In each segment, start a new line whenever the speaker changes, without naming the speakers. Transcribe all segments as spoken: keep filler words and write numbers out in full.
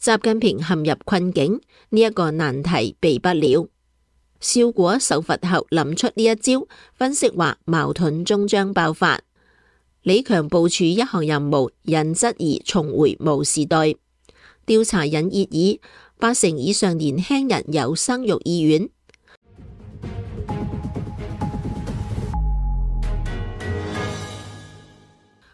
習近平陷入困境，呢一個難題避不了。邵果受罰後諗出呢一招，分析話矛盾終將爆發。李強部署一項任務，引質疑重回毛時代。調查引熱議，八成以上年輕人有生育意願。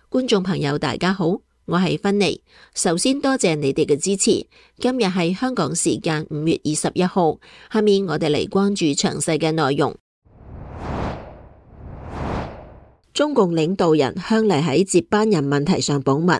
觀眾朋友大家好，我係芬妮，首先多謝你哋嘅支持。今日係香港時間五月二十一號，下面我哋嚟關注詳細嘅內容。中共領導人向嚟喺接班人問題上保密。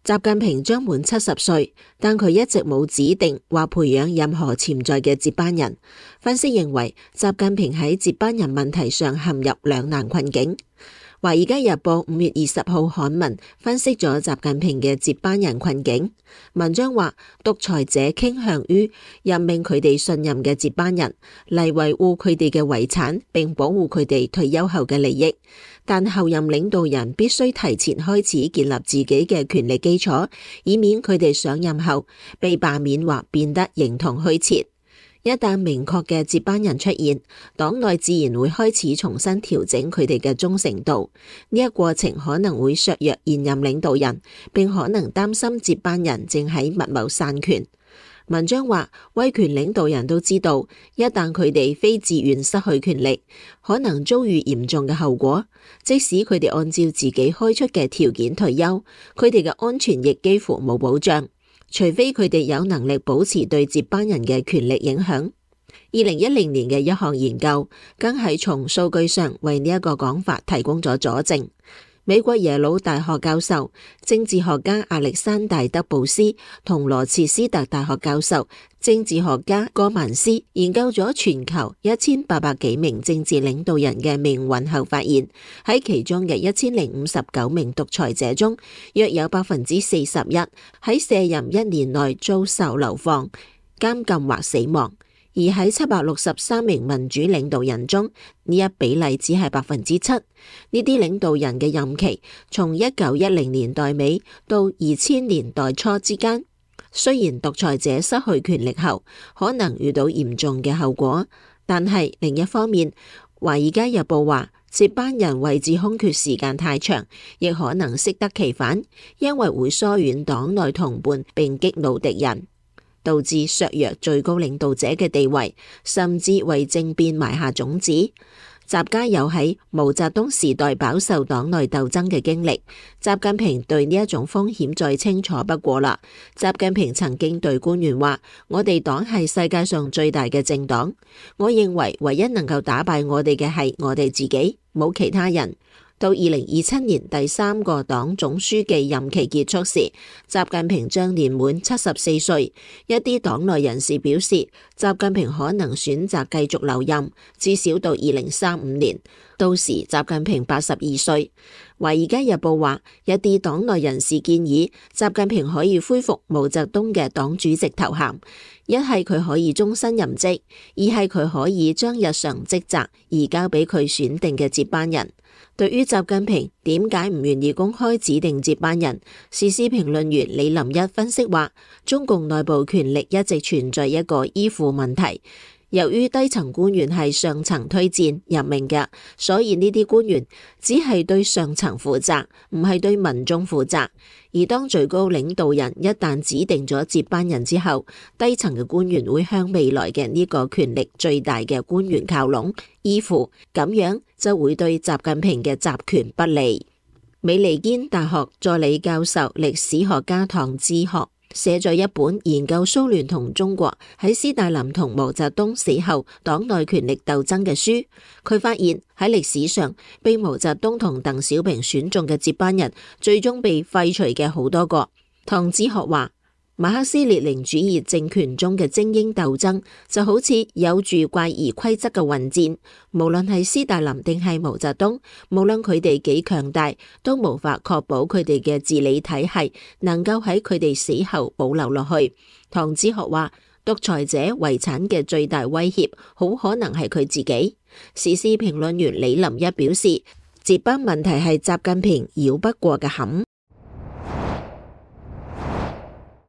習近平將滿七十歲，但佢一直冇指定或培養任何潛在嘅接班人。分析認為，習近平喺接班人問題上陷入兩難困境。《華爾街日報》五月二十號刊文分析咗習近平嘅接班人困境。文章話，獨裁者傾向於任命佢哋信任嘅接班人嚟維護佢哋嘅遺產，並保護佢哋退休後嘅利益。但後任領導人必須提前開始建立自己嘅權力基礎，以免佢哋上任後被罷免或變得形同虛設。一旦明確嘅接班人出現，黨內自然會開始重新調整佢哋嘅忠誠度。呢一過程可能會削弱現任領導人，並可能擔心接班人正喺密謀散權。文章話，威權領導人都知道，一旦佢哋非自願失去權力，可能遭遇嚴重嘅後果。即使佢哋按照自己開出嘅條件退休，佢哋嘅安全亦幾乎冇保障。除非佢哋有能力保持對接班人嘅權力影響。二零一零年嘅一項研究，更係從數據上為呢一個講法提供咗佐證。美國耶魯大學教授、政治學家亞歷山大德布斯同羅切斯特大學教授、政治學家戈曼斯研究咗全球一千八百幾名政治領導人嘅命運後發現，喺其中嘅一千零五十九名獨裁者中，約有百分之四十一喺卸任一年內遭受流放、監禁或死亡。而喺七百六十三名民主領導人中，呢一比例只係百分之七。呢啲領導人嘅任期從一九一零年代尾到二千年代初之間。雖然獨裁者失去權力後可能遇到嚴重嘅後果，但係另一方面，《華爾街日報》話，接班人位置空缺時間太長，亦可能適得其反，因為會疏遠黨內同伴並激怒敵人，導致削弱最高領導者嘅地位，甚至為政變埋下種子。習家有喺毛澤東時代飽受黨內鬥爭嘅經歷，習近平對呢一種風險再清楚不過啦。習近平曾經對官員話：我哋黨係世界上最大嘅政黨，我認為唯一能夠打敗我哋嘅係我哋自己，冇其他人。到二零二七年第三個黨總書記任期結束時，習近平將年滿七十四歲。一啲黨內人士表示，習近平可能選擇繼續留任，至少到二零三五年。到時習近平八十二歲。華爾街日報話，一啲黨內人士建議習近平可以恢復毛澤東嘅黨主席頭銜，一係佢可以終身任職，二係佢可以將日常職責移交俾佢選定嘅接班人。對於習近平點解唔願意公開指定接班人，時事評論員李林一分析話，中共內部權力一直存在一個依附問題。由於低層官員係上層推薦任命嘅，所以呢啲官員只係對上層負責，唔係對民眾負責。而當最高領導人一旦指定咗接班人之後，低層嘅官員會向未來嘅呢個權力最大嘅官員靠攏依附，咁樣就會對習近平嘅集權不利。美利堅大學助理教授、歷史學家唐志學寫咗一本研究蘇聯同中國喺斯大林同毛澤東死後黨內權力鬥爭嘅書。佢發現喺歷史上被毛澤東同鄧小平選中嘅接班人，最終被廢除嘅好多個。唐子學話，馬克思列寧主義政權中嘅精英鬥爭就好似有住怪異規則嘅混戰，無論係斯大林定係毛澤東，無論佢哋幾強大，都無法確保佢哋嘅治理體系能夠喺佢哋死後保留落去。唐子學話，獨裁者遺產嘅最大威脅好可能係佢自己。時事評論員李林一表示，接班問題係習近平繞不過嘅坎。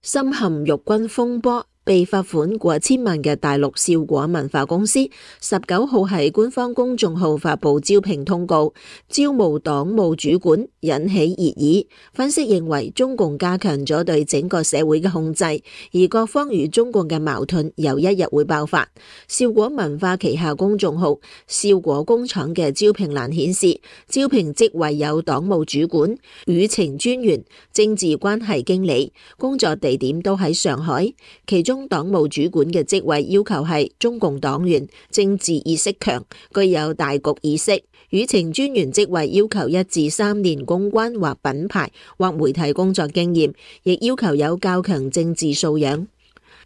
深陷辱軍風波，被罰款過千萬嘅大陸笑果文化公司十九號喺官方公眾號發布招聘通告，招募黨務主管，引起熱議。分析認為，中共加強咗對整個社會嘅控制，而各方與中共嘅矛盾有一日會爆發。笑果文化旗下公眾號笑果工廠嘅招聘欄顯示，招聘職位有黨務主管、輿情專員、政治關係經理，工作地點都喺上海，其中黨務主管嘅職位要求係中共黨員，政治意識強，具有大局意識。輿情專員職位要求一至三年公關或品牌或媒體工作經驗，亦要求有較強政治素養。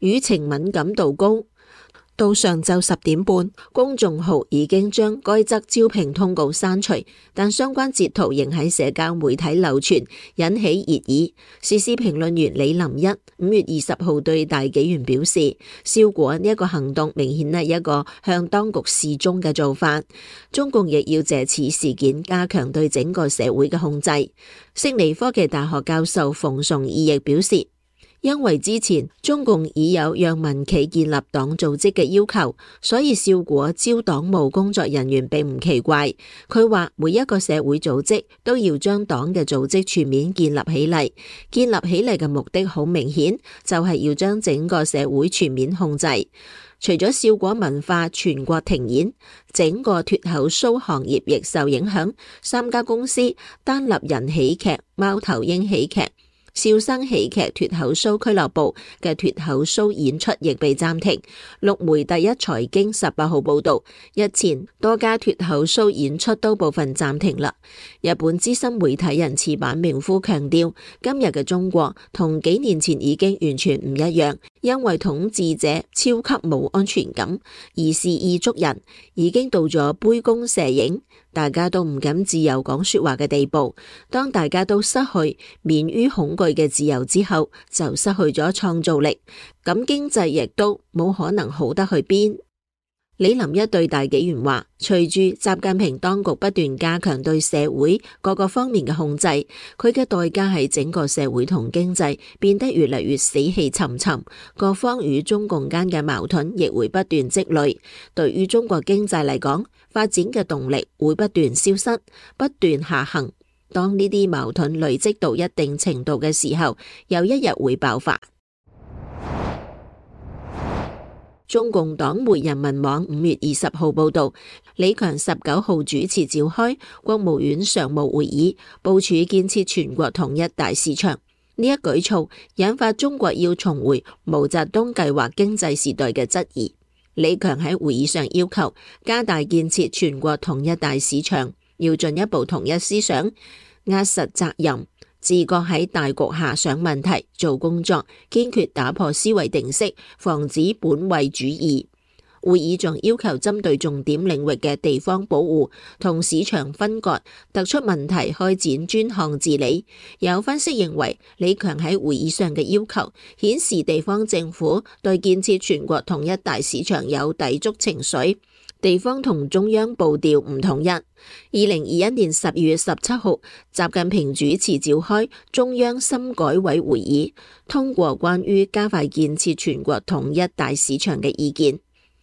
輿情敏感度高。到上晝十點半，公眾號已經將該則招聘通告刪除，但相關截圖仍喺社交媒體流傳，引起熱議。時事評論員李林一五月二十號對大紀元表示，笑果呢一個行動明顯係一個向當局示忠嘅做法，中共亦要借此事件加強對整個社會嘅控制。悉尼科技大學教授馮崇義亦表示，因為之前中共已有讓民企建立黨組織嘅要求，所以笑果招黨務工作人員並唔奇怪。佢話每一個社會組織都要將黨嘅組織全面建立起嚟，建立起嚟嘅目的好明顯，就係要將整個社會全面控制。除咗笑果文化全國停演，整個脫口秀行業亦受影響。三家公司單立人喜劇、貓頭鷹喜劇、笑聲喜劇脫口秀俱樂部嘅脫口秀演出亦被暫停。陸媒第一財經十八號報道，日前多家脫口秀演出都部分暫停啦。日本資深媒體人矢板明夫強調，今日嘅中國同幾年前已經完全唔一樣，因為統治者超級冇安全感，而是意捉人，已經到咗杯弓蛇影，大家都唔敢自由講說話嘅地步。當大家都失去免於恐懼嘅自由之後，就失去咗創造力，咁經濟亦都冇可能好得去邊。李林一對大紀元話，隨住習近平當局不斷加強對社會各個方面嘅控制，佢嘅代價係整個社會同經濟變得越嚟越死氣沉沉，各方與中共間嘅矛盾亦會不斷積累。對於中國經濟嚟講，發展嘅動力會不斷消失，不斷下行。當呢啲矛盾累積到一定程度嘅時候，有一日會爆發。中共黨媒人民網五月二十號報道，李強十九號主持召開國務院常務會議，部署建設全國統一大市場。呢一舉措引發中國要重回毛澤東計劃經濟時代嘅質疑。李強喺會議上要求加大建設全國統一大市場，要進一步統一思想，壓實責任，自覺喺大局下想問題、做工作，堅決打破思維定式，防止本位主義。會議仲要求針對重點領域嘅地方保護同市場分割，突出問題開展專項治理。有分析認為，李強喺會議上嘅要求顯示地方政府對建設全國統一大市場有抵觸情緒，地方同中央步調唔統一。二零二一年十二月十七號，習近平主持召開中央深改委會議，通過關於加快建設全國統一大市場嘅意見。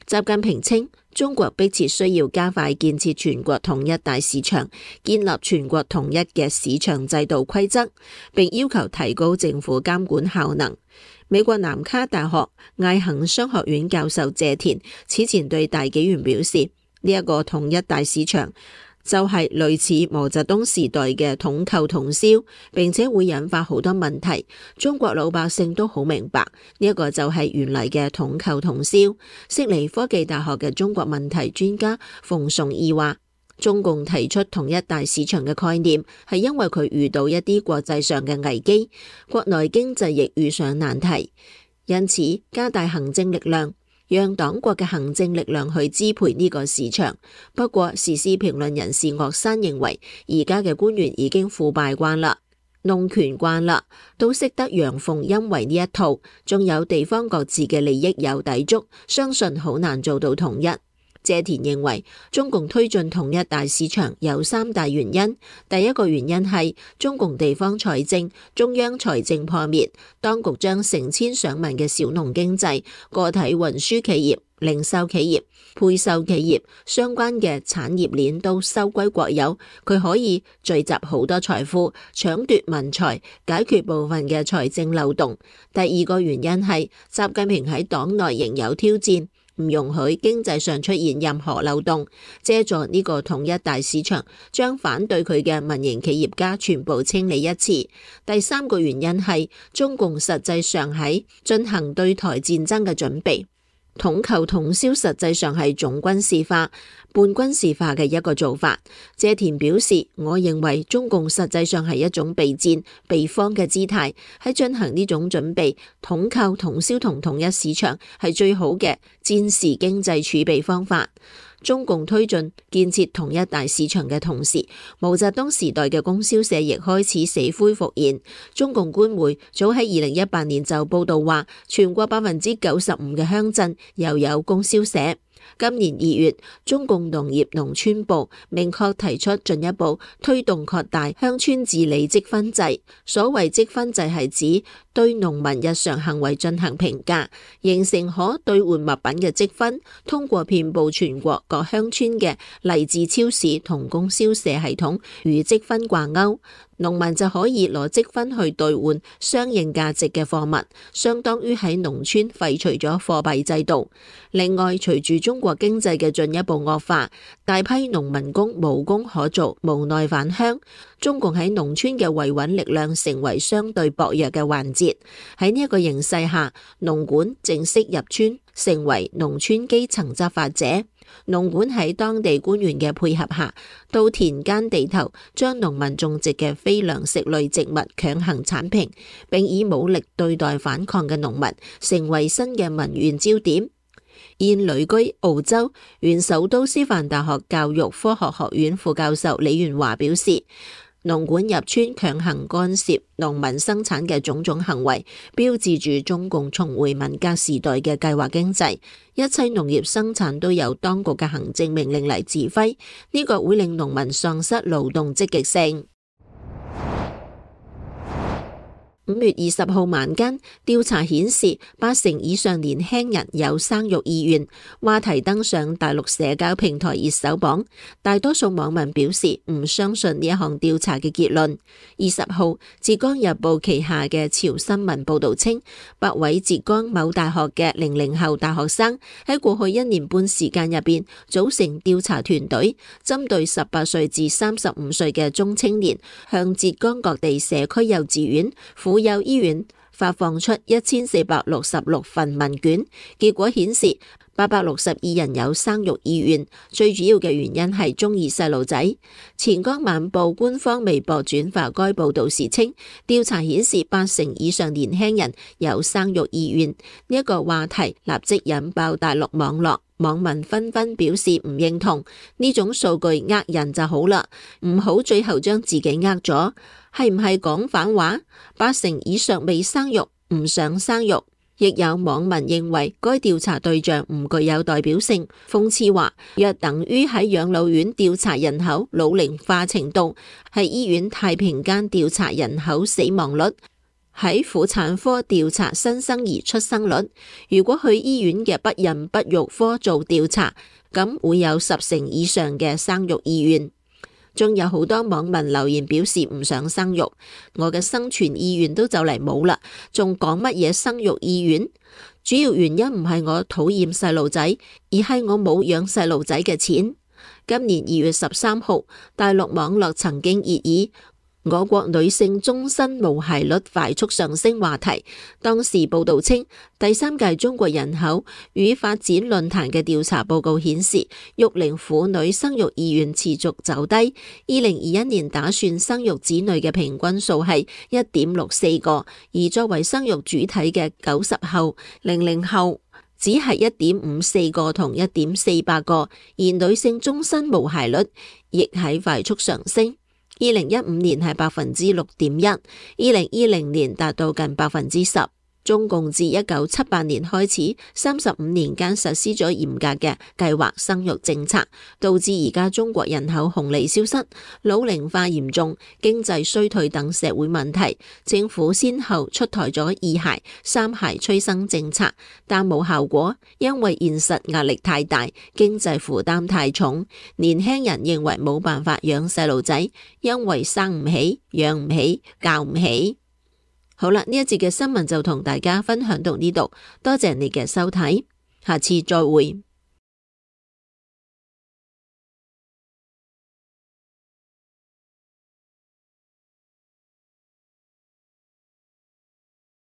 習近平稱，中國迫切需要加快建設全國統一大市場，建立全國統一嘅市場制度規則，並要求提高政府監管效能。美國南卡大學艾肯商學院教授謝田此前對大紀元表示，呢、這、一個統一大市場就係類似毛澤東時代嘅統購統銷，並且會引發好多問題。中國老百姓都好明白，呢一個就係原嚟嘅統購統銷。悉尼科技大學嘅中國問題專家馮崇義話，中共提出統一大市場嘅概念，係因為佢遇到一啲國際上嘅危機，國內經濟亦遇上難題，因此加大行政力量，讓黨國嘅行政力量去支配呢個市場。不過時事評論人士岳山認為，而家嘅官員已經腐敗慣啦，弄權慣啦，都識得陽奉陰違呢一套，仲有地方各自嘅利益有抵觸，相信好難做到統一。謝田認為，中共推進統一大市場有三大原因。第一個原因係中共地方財政、中央財政破滅，當局將成千上萬嘅小農經濟、個體運輸企業、零售企業、配售企業相關嘅產業鏈都收歸國有，佢可以聚集好多財富，搶奪民財，解決部分嘅財政漏洞。第二個原因係習近平喺黨內仍有挑戰，唔容許經濟上出現任何漏洞，借助呢個統一大市場，將反對佢嘅民營企業家全部清理一次。第三個原因係中共實際上喺進行對台戰爭嘅準備。統購統銷實際上係總軍事化、半軍事化嘅一個做法。謝田表示，我認為中共實際上係一種備戰、備荒嘅姿態，喺進行呢種準備。統購統銷同統一市場係最好嘅戰時經濟儲備方法。中共推進建設統一大市場嘅同時，毛澤東時代嘅供銷社亦開始死灰復燃。中共官媒早喺二零一八年就報道話，全國百分之九十五嘅鄉鎮又有供銷社。今年二月，中共農業農村部明確提出進一步推動擴大鄉村治理積分制。所謂積分制係指對農民日常行為進行評價，形成可兌換物品嘅積分，通過遍佈全國各鄉村嘅勵志超市同供銷社系統與積分掛鈎。農民就可以攞積分去兌換相應價值嘅貨物，相當於喺農村廢除咗貨幣制度。另外，隨住中國經濟嘅進一步惡化，大批農民工無工可做，無奈返鄉。中共喺農村嘅維穩力量成為相對薄弱嘅環節。喺呢一個形勢下，農管正式入村，成為農村基層執法者。農管喺當地官員嘅配合下，到田間地頭將農民種植嘅非糧食類植物強行鏟平，並以武力對待反抗嘅農民，成為新嘅民怨焦點。現旅居澳洲原首都師範大學教育科學學院副教授李元華表示，農管入村強行干涉農民生產嘅種種行為，標誌住中共重回文革時代嘅計劃經濟，一切農業生產都由當局嘅行政命令嚟指揮，呢個會令農民喪失勞動積極性。五月二十號晚間，調查顯示八成以上年輕人有生育意願，話題登上大陸社交平台熱搜榜。大多數網民表示唔相信呢一項調查嘅結論。二十號，浙江日報旗下嘅潮新聞報道稱，八位浙江某大學嘅零零後大學生喺過去一年半時間入邊組成調查團隊，針對十八歲至三十五歲嘅中青年，向浙江各地社區幼稚園、婦幼醫院發放出一千四百六十六份問卷，結果顯示八百六十二人有生育意願，最主要嘅原因係中意細路仔。錢江晚報官方微博轉發該報道時稱，調查顯示八成以上年輕人有生育意願，呢一個話題立即引爆大陸網絡，網民紛紛表示唔認同，呢種數據呃人就好啦，唔好最後將自己呃咗。係唔係講反話？八成以上未生育，唔想生育。亦有網民認為該調查對象唔具有代表性，諷刺話若等於喺養老院調查人口老齡化程度，喺醫院太平間調查人口死亡率，喺婦產科調查新生兒出生率。如果去醫院嘅不孕不育科做調查，咁會有十成以上嘅生育意願。仲有好多網民留言表示唔想生育，我嘅生存意願都就嚟冇啦，仲講乜嘢生育意願？主要原因唔係我討厭細路仔，而係我冇養細路仔嘅錢。今年二月十三號，大陸網絡曾經熱議我國女性終身無孩率快速上升話題。當時報道稱，第三屆中國人口與發展論壇嘅調查報告顯示，育齡婦女生育意願持續走低。二零二一年打算生育子女嘅平均數係一點六四個，而作為生育主體嘅九十後、零零後只係一點五四個同一點四八個，而女性終身無孩率亦喺快速上升。二零一五年係百分之六點一，二零二零年達到近百分之十。中共自一九七八年開始，三十五年間實施咗嚴格嘅計劃生育政策，導致而家中國人口紅利消失、老齡化嚴重、經濟衰退等社會問題。政府先後出台咗二孩、三孩催生政策，但冇效果，因為現實壓力太大，經濟負擔太重，年輕人認為冇辦法養細路仔，因為生唔起、養唔起、教唔起。好啦，呢一節嘅新聞就同大家分享到呢度，多謝你嘅收睇，下次再會。